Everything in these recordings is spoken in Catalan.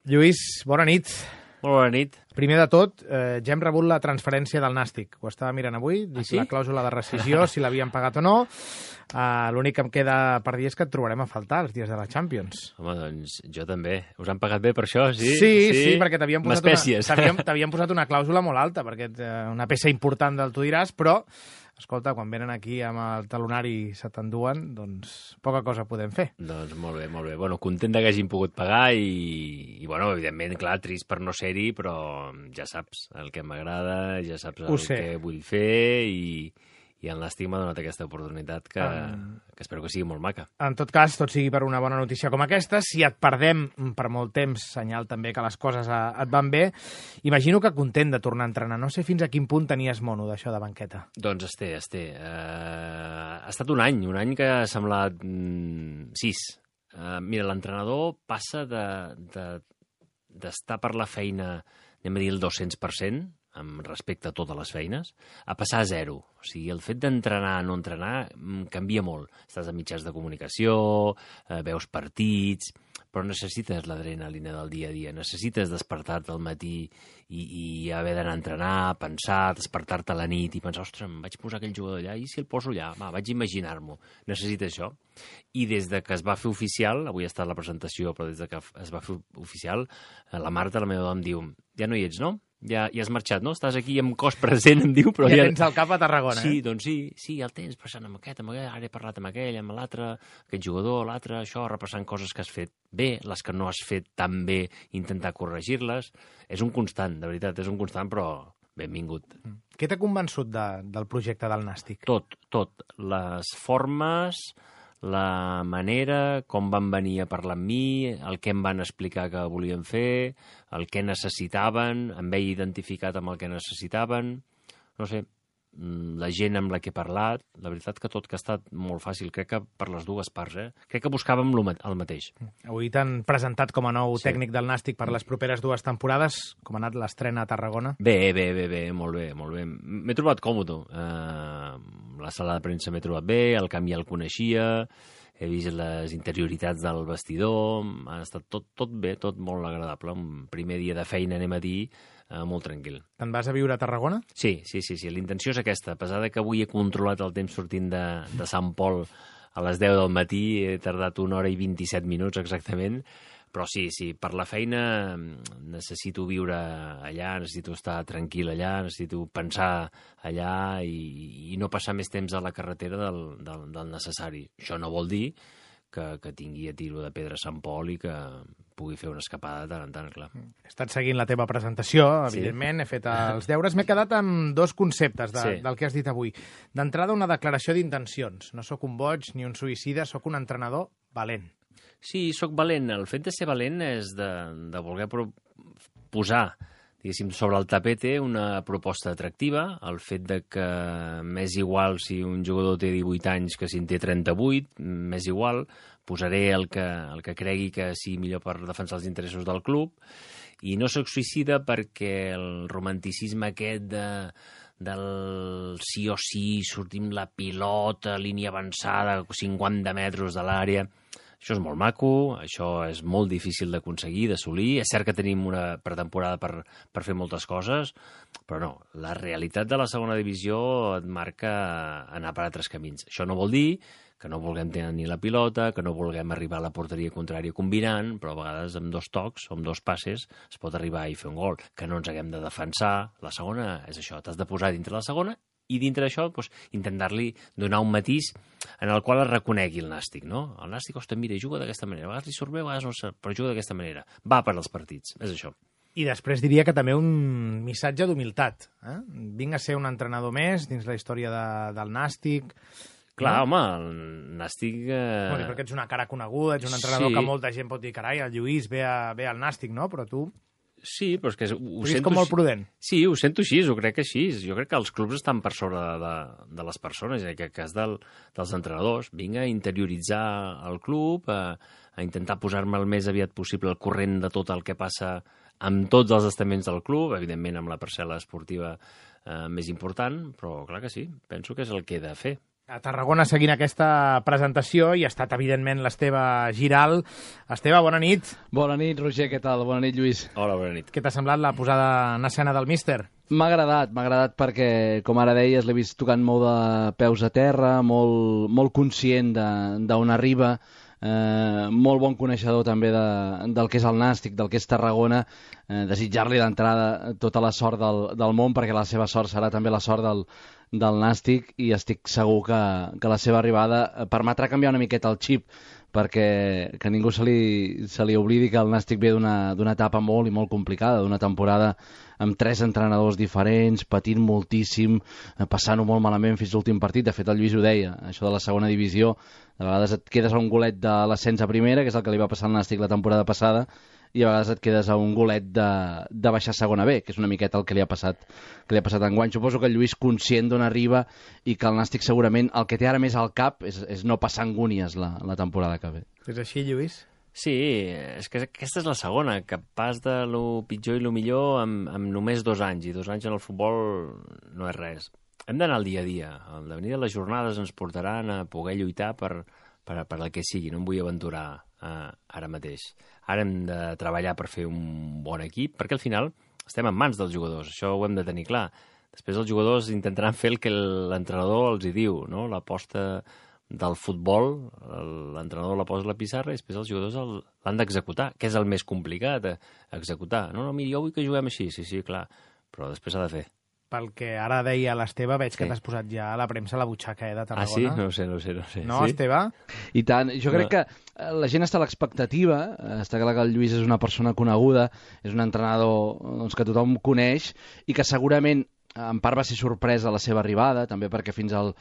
Lluís, bona nit. Molt bona nit. Primer de tot, ja hem rebut la transferència del Nàstic. Ho estava mirant avui, dic la clàusula de rescissió, si l'havien pagat o no. L'únic que em queda per dir és que et trobarem a faltar els dies de la Champions. Home, doncs jo també. Us han pagat bé per això, sí? Sí, perquè t'havien posat, posat una clàusula molt alta, perquè una peça important del tu diràs, però, escolta, quan venen aquí amb el talonari se t'enduen, doncs poca cosa podem fer. Doncs molt bé, molt bé. Bueno, content que hagin pogut pagar i bueno, evidentment, clar, trist per no ser-hi, però ja saps el que m'agrada, ja saps el que vull fer i el Nàstic m'ha donat aquesta oportunitat que espero que sigui molt maca. En tot cas, tot sigui per una bona notícia com aquesta, si et perdem per molt temps, senyal també que les coses et van bé, imagino que content de tornar a entrenar. No sé fins a quin punt tenies mono d'això de banqueta. Doncs es té. Ha estat un any que ha semblat 6. Mira, l'entrenador passa d'estar per la feina, anem a dir el 200%, amb respecte a totes les feines, a passar a 0. O sigui, el fet d'entrenar o no entrenar canvia molt. Estàs a mitjans de comunicació, veus partits, però necessites l'adrenalina del dia a dia. Necessites despertar-te al matí i haver d'anar a entrenar, pensar, despertar-te a la nit i pensar, ostres, em vaig posar aquell jugador allà, i si el poso allà? Va, vaig imaginar-m'ho. Necessites això. I des de que es va fer oficial, avui ha estat la presentació, però des de que es va fer oficial, la Marta, la meva dona, em diu, ja no hi ets, no? Ja has marxat, no? Estàs aquí amb cos present, em diu, però ja tens el cap a Tarragona, sí, doncs sí, ja el tens, passant amb aquest, ara he parlat amb aquell, amb l'altre, aquest jugador, l'altre, això, repassant coses que has fet bé, les que no has fet tan bé, intentar corregir-les. És un constant, de veritat, és un constant, però benvingut. Què t'ha convençut del projecte del Nàstic? Tot. Les formes, la manera, com van venir a parlar amb mi, el que em van explicar que volien fer, el que necessitaven, em veia identificat amb el que necessitaven, no sé, la gent amb la que he parlat, la veritat que tot que ha estat molt fàcil, crec que per les dues parts, crec que buscàvem el mateix. Avui t'han presentat com a nou tècnic del Nàstic per les properes 2 temporades, com ha anat l'estrena a Tarragona? Bé, molt bé. M'he trobat còmode. La sala de premsa m'he trobat bé, el camp ja el coneixia, he vist les interioritats del vestidor, ha estat tot bé, tot molt agradable. Un primer dia de feina, anem a dir, molt tranquil. Te'n vas a viure a Tarragona? Sí. L'intenció és aquesta. A pesar que avui he controlat el temps sortint de Sant Pol a les 10 del matí, he tardat 1 hora i 27 minuts exactament, però sí, per la feina necessito viure allà, necessito estar tranquil allà, necessito pensar allà i no passar més temps a la carretera del necessari. Això no vol dir que tingui a tiro de pedra a Sant Pol i que pugui fer una escapada de tant en tant, clar. He estat seguint la teva presentació, evidentment, he fet els deures. M'he quedat amb 2 conceptes del que has dit avui. D'entrada, una declaració d'intencions. No sóc un boig ni un suïcida, sóc un entrenador valent. Sí, sóc valent. El fet de ser valent és de voler posar, diguéssim, sobre el tapete una proposta atractiva, el fet de que m'és igual si un jugador té 18 anys que si en té 38, m'és igual, posaré el que cregui que sigui millor per defensar els interessos del club, i no soc suïcida perquè el romanticisme aquest del sí o sí, sortim la pilota, línia avançada, 50 metres de l'àrea. Això és molt maco, això és molt difícil d'aconseguir, d'assolir. És cert que tenim una pretemporada per fer moltes coses, però no, la realitat de la segona divisió et marca anar per altres camins. Això no vol dir que no vulguem tenir la pilota, que no vulguem arribar a la porteria contrària combinant, però a vegades amb 2 tocs o amb 2 passes es pot arribar i fer un gol. Que no ens haguem de defensar. La segona és això, t'has de posar dintre la segona i dintre d'això intentar-li donar un matís en el qual es reconegui el Nàstic, no? El Nàstic, ostres, mira, juga d'aquesta manera, a vegades li surt bé, a vegades no sé, però juga d'aquesta manera. Va per als partits, és això. I després diria que també un missatge d'humilitat. Vinc a ser un entrenador més dins la història del Nàstic. Clar, home, el Nàstic... Perquè ets una cara coneguda, ets un entrenador que molta gent pot dir, carai, el Lluís ve al Nàstic, no? Però tu... Sí, però és que ho sento com molt prudent. Sí, ho sento així, ho crec així. Jo crec que els clubs estan per sobre de les persones, en aquest cas dels entrenadors. Vinc a interioritzar el club, a intentar posar-me el més aviat possible al corrent de tot el que passa amb tots els estaments del club, evidentment amb la parcel·la esportiva més important, però clar que sí, penso que és el que he de fer. A Tarragona seguint aquesta presentació i ha estat, evidentment, l'Esteve Giral. Esteve, bona nit. Bona nit, Roger, què tal? Bona nit, Lluís. Hola, bona nit. Què t'ha semblat la posada en escena del míster? M'ha agradat perquè, com ara deies, l'he vist tocant molt de peus a terra, molt conscient d'on arriba, molt bon coneixedor també del que és el Nàstic, del que és Tarragona, desitjar-li d'entrada tota la sort del món, perquè la seva sort serà també la sort del Nàstic, i estic segur que la seva arribada permetrà canviar una miqueta el xip, perquè que ningú se li oblidi que el Nàstic ve d'una etapa molt i molt complicada, d'una temporada amb 3 entrenadors diferents, patint moltíssim, passant-ho molt malament fins l'últim partit. De fet, el Lluís ho deia, això de la segona divisió, de vegades et quedes a un golet de l'ascens a primera, que és el que li va passar al Nàstic la temporada passada, i a vegades et quedes a un golet de baixar a segona B, que és una miqueta el que li ha passat enguany. Suposo que el Lluís, conscient d'on arriba, i que el Nàstic segurament el que té ara més al cap és no passar angúnies la temporada que ve. És així, Lluís? Sí, és que aquesta és la segona, que pas de lo pitjor i lo millor amb només 2 anys, i 2 anys en el futbol no és res. Hem d'anar al dia a dia. El devenir de les jornades ens portaran a poder lluitar per el que sigui. No em vull aventurar ara mateix. Ara hem de treballar per fer un bon equip, perquè al final estem en mans dels jugadors, això ho hem de tenir clar. Després els jugadors intentaran fer el que l'entrenador els hi diu, no? L'aposta del futbol, l'entrenador la posa a la pissarra i després els jugadors l'han d'executar, que és el més complicat, executar. No, mira, jo vull que juguem així, sí, clar, però després s'ha de fer. Pel que ara deia l'Esteve, veig que t'has posat ja a la premsa a la butxaca de Tarragona. Ah, sí? No ho sé. No, sí? Esteve? I tant. Jo crec que la gent està a l'expectativa, està clar que el Lluís és una persona coneguda, és un entrenador que tothom coneix i que segurament en part va ser sorpresa la seva arribada, també perquè fins al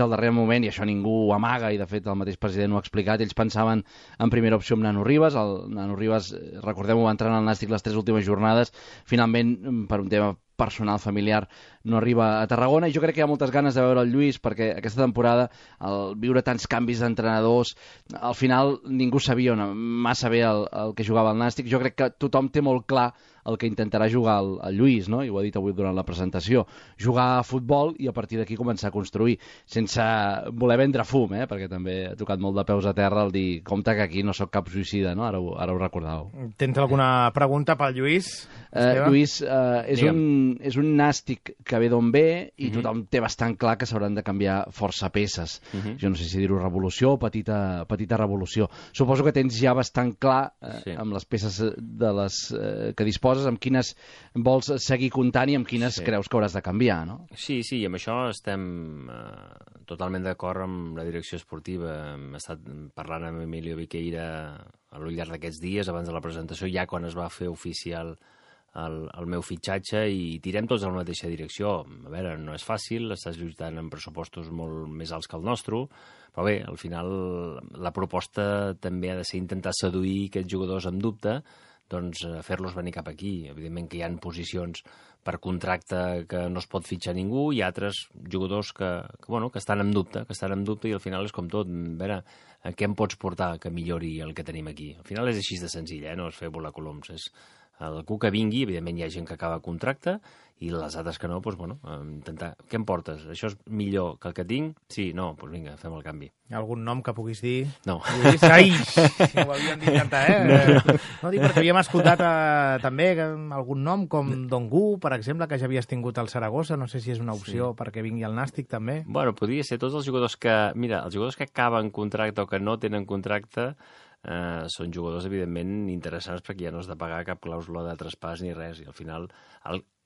darrer moment, i això ningú ho amaga, i de fet el mateix president ho ha explicat, ells pensaven en primera opció amb Nano Ribas. El Nano Ribas, recordem-ho, va entrar en el Nàstic les 3 últimes jornades, finalment per un tema personal, familiar, no arriba a Tarragona, i jo crec que hi ha moltes ganes de veure el Lluís, perquè aquesta temporada, al viure tants canvis d'entrenadors, al final ningú sabia massa bé el que jugava el Nàstic. Jo crec que tothom té molt clar el que intentarà jugar el Lluís, no? I ho ha dit avui durant la presentació. Jugar a futbol i a partir d'aquí començar a construir, sense voler vendre fum, perquè també ha tocat molt de peus a terra el dir, compte que aquí no sóc cap suïcida, no? Ara ho recordàveu. Tens alguna pregunta pel Lluís? Lluís, és un Nàstic que ve d'on ve i tothom té bastant clar que s'hauran de canviar força peces. Jo no sé si dir-ho revolució o petita revolució. Suposo que tens ja bastant clar amb les peces de les que disposes, amb quines vols seguir comptant i amb quines creus que hauràs de canviar, no? Sí, i amb això estem totalment d'acord amb la direcció esportiva. Hem estat parlant amb Emilio Viqueira al llarg d'aquests dies, abans de la presentació, ja quan es va fer oficial el meu fitxatge, i tirem tots en la mateixa direcció. A veure, no és fàcil, estàs lluitant amb pressupostos molt més alts que el nostre, però bé, al final la proposta també ha de ser intentar seduir aquests jugadors amb dubte, doncs fer-los venir cap aquí. Evidentment que hi ha posicions per contracte que no es pot fitxar ningú, i altres jugadors que estan en dubte, i al final és com tot. A veure, què em pots portar que millori el que tenim aquí? Al final és així de senzill, no és fer volar coloms, és algú que vingui. Evidentment hi ha gent que acaba contracte, i les altres que no, intentar... Què em portes? Això és millor que el que tinc? Sí, no, doncs vinga, fem el canvi. Algun nom que puguis dir? No. Ai, si ho havíem dit cantar, No, dic perquè havíem escoltat també algun nom com Dongu, per exemple, que ja havies tingut al Saragossa. No sé si és una opció perquè vingui al Nàstic, també. Bueno, podria ser tots els jugadors que... Mira, els jugadors que acaben contracte o que no tenen contracte són jugadors, evidentment, interessants, perquè ja no has de pagar cap clàusula de traspàs ni res, i al final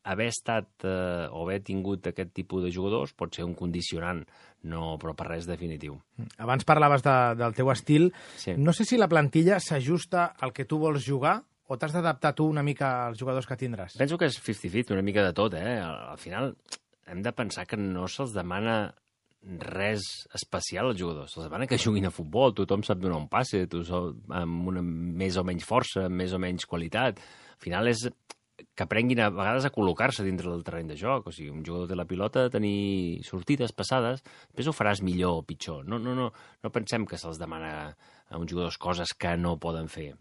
haver estat o haver tingut aquest tipus de jugadors pot ser un condicionant, però per res definitiu. Abans parlaves del teu estil. Sí. No sé si la plantilla s'ajusta al que tu vols jugar o t'has d'adaptar tu una mica als jugadors que tindràs? Penso que és 50-50, una mica de tot. Al final hem de pensar que no se'ls demana res especial als jugadors. Se'ls demana que juguin a futbol, tothom sap donar un passe, amb una més o menys força, amb més o menys qualitat. Al final és que aprenguin a vegades a col·locar-se dintre del terreny de joc. O sigui, un jugador té la pilota, tenir sortides, passades, després ho faràs millor o pitjor. No pensem que se'ls demana a uns jugadors coses que no poden fer.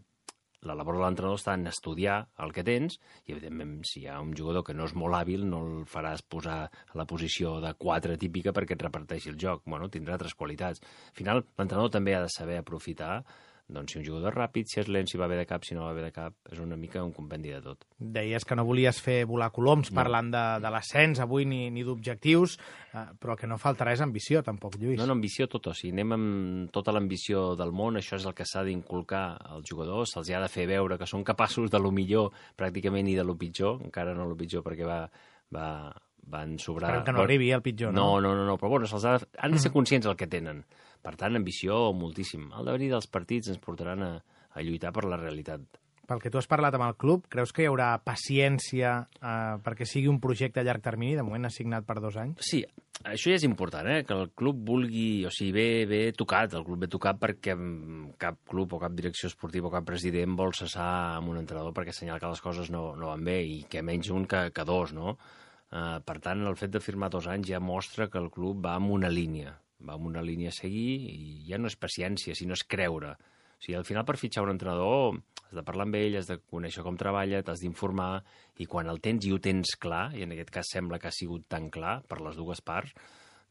la labor de l'entrenador està en estudiar el que tens i, evidentment, si hi ha un jugador que no és molt hàbil, no el faràs posar a la posició de 4 típica perquè et reparteixi el joc. Bueno, tindrà altres qualitats. Al final, l'entrenador també ha de saber aprofitar doncs, si un jugador és ràpid, si és lent, si va bé de cap, si no va bé de cap, és una mica un compendi de tot. Deies que no volies fer volar coloms parlant de l'ascens avui ni d'objectius, però el que no faltarà és ambició, tampoc, Lluís. No, ambició tot, o sigui, anem amb tota l'ambició del món, això és el que s'ha d'inculcar als jugadors, se'ls ha de fer veure que són capaços de lo millor pràcticament i de lo pitjor, encara no lo pitjor perquè van sobrar... Esperem que no arribi el pitjor, no? No, però bueno, han de ser conscients del que tenen. Per tant, ambició moltíssim. El devenir dels partits ens portaran a lluitar per la realitat. Pel que tu has parlat amb el club, creus que hi haurà paciència perquè sigui un projecte a llarg termini? De moment assignat per 2 anys. Sí, això ja és important, que el club vulgui... O sigui, ve tocat, el club ve tocat perquè cap club o cap direcció esportiva o cap president vol cessar amb un entrenador perquè assenyala que les coses no van bé i que menys un que 2, no? Per tant, el fet de firmar 2 anys ja mostra que el club va amb una línia. Va amb una línia a seguir i ja no és paciència, sinó és creure. O sigui, al final, per fitxar un entrenador, has de parlar amb ell, has de conèixer com treballa, t'has d'informar, i quan el tens i ho tens clar, i en aquest cas sembla que ha sigut tan clar per les dues parts,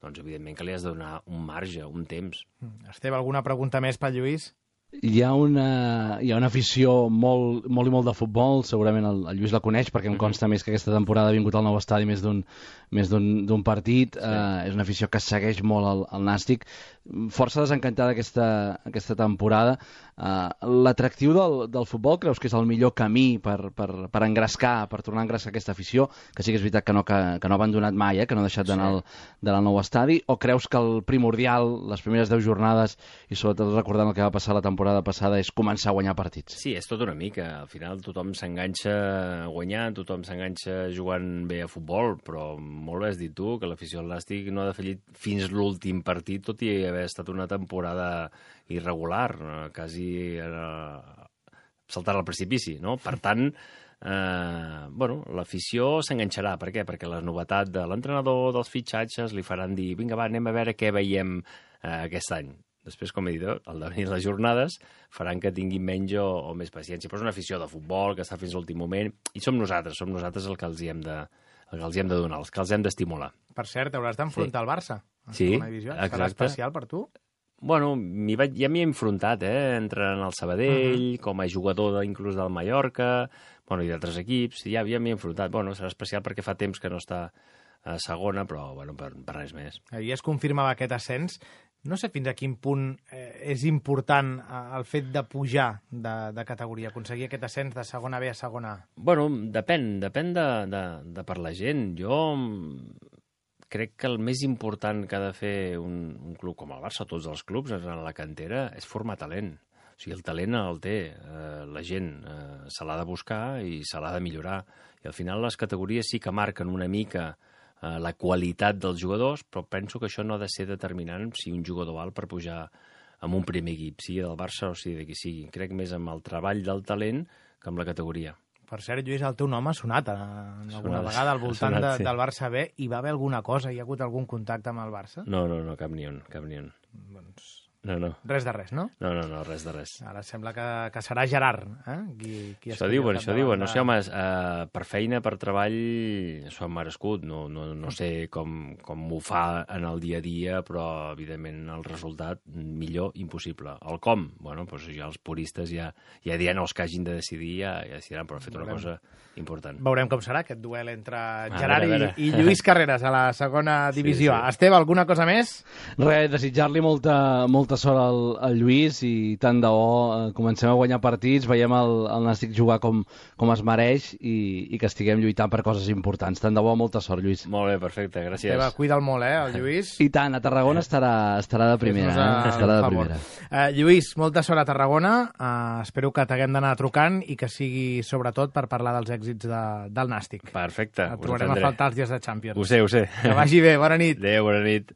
doncs evidentment que li has de donar un marge, un temps. Esteve, alguna pregunta més pel Lluís? Hi ha una afició molt i molt de futbol, segurament el Lluís la coneix perquè em consta més que aquesta temporada ha vingut al nou estadi més d'un partit. És una afició que segueix molt el Nàstic, força desencantada aquesta temporada. L'atractiu del futbol creus que és el millor camí per engrescar, per tornar a engrescar aquesta afició, que sí que és veritat que no ha abandonat mai, que no ha deixat d'anar al nou estadi, o creus que el primordial, les primeres 10 jornades i sobretot recordant el que va passar la temporada passada, és començar a guanyar partits? Sí, és tot una mica. Al final tothom s'enganxa guanyant, tothom s'enganxa jugant bé a futbol, però molt bé has dit tu que l'afició al Nàstic no ha defallit fins l'últim partit, tot i haver estat una temporada irregular, quasi saltar al precipici, no? Per tant, l'afició s'enganxarà. Per què? Perquè la novetat de l'entrenador, dels fitxatges, li faran dir, vinga, va, anem a veure què veiem aquest any. Després, com he dit, al devenir les jornades faran que tinguin menys o més paciència. Però és una afició de futbol que està fins a l'últim moment i som nosaltres el que els hi hem de donar, els que els hem d'estimular. Per cert, hauràs d'enfrontar el Barça. Sí, exacte. Serà especial per tu? Bueno, ja m'hi he enfrontat, entrant al Sabadell, com a jugador inclús del Mallorca, i d'altres equips, ja m'hi he enfrontat. Bueno, serà especial perquè fa temps que no està a segona, però per res més. Ahir es confirmava aquest ascens. No sé fins a quin punt és important el fet de pujar de categoria, aconseguir aquest ascens de segona B a segona A. Bueno, depèn de per la gent. Jo crec que el més important que ha de fer un club com el Barça, tots els clubs en la cantera, és formar talent. O sigui, el talent el té la gent, se l'ha de buscar i se l'ha de millorar. I al final les categories sí que marquen una mica la qualitat dels jugadors, però penso que això no ha de ser determinant si un jugador val per pujar amb un primer equip, sigui del Barça o sigui de qui sigui. Crec més amb el treball del talent que amb la categoria. Per cert, Lluís, el teu nom ha sonat alguna vegada al voltant del Barça B. Hi va haver alguna cosa? Hi ha hagut algun contacte amb el Barça? No, cap ni un. Doncs... No. Res de res, no? No, res de res. Ara sembla que serà Gerard, qui això diuen. No sé, home, per feina, per treball, s'ho han merescut. No sé com ho fa en el dia a dia, però, evidentment, el resultat millor impossible. El com? Bueno, doncs ja els puristes ja diran els que hagin de decidir, ja decidiran, però ha fet una cosa important. Veurem com serà aquest duel entre Gerard i Lluís Carreras a la segona divisió. Sí. Esteve, alguna cosa més? Res, desitjar-li molta sort al Lluís i tant de bo comencem a guanyar partits, veiem el Nàstic jugar com es mereix i que estiguem lluitant per coses importants. Tant de bo, molta sort, Lluís. Molt bé, perfecte, gràcies. Esteve, cuida'l molt, el Lluís. I tant, a Tarragona estarà de primera. Estarà de primera. Lluís, molta sort a Tarragona. Espero que t'haguem d'anar trucant i que sigui sobretot per parlar dels èxits del Nàstic. Perfecte. Et trobarem a faltar els dies de Champions. Ho sé. Que vagi bé, bona nit. Adéu, bona nit.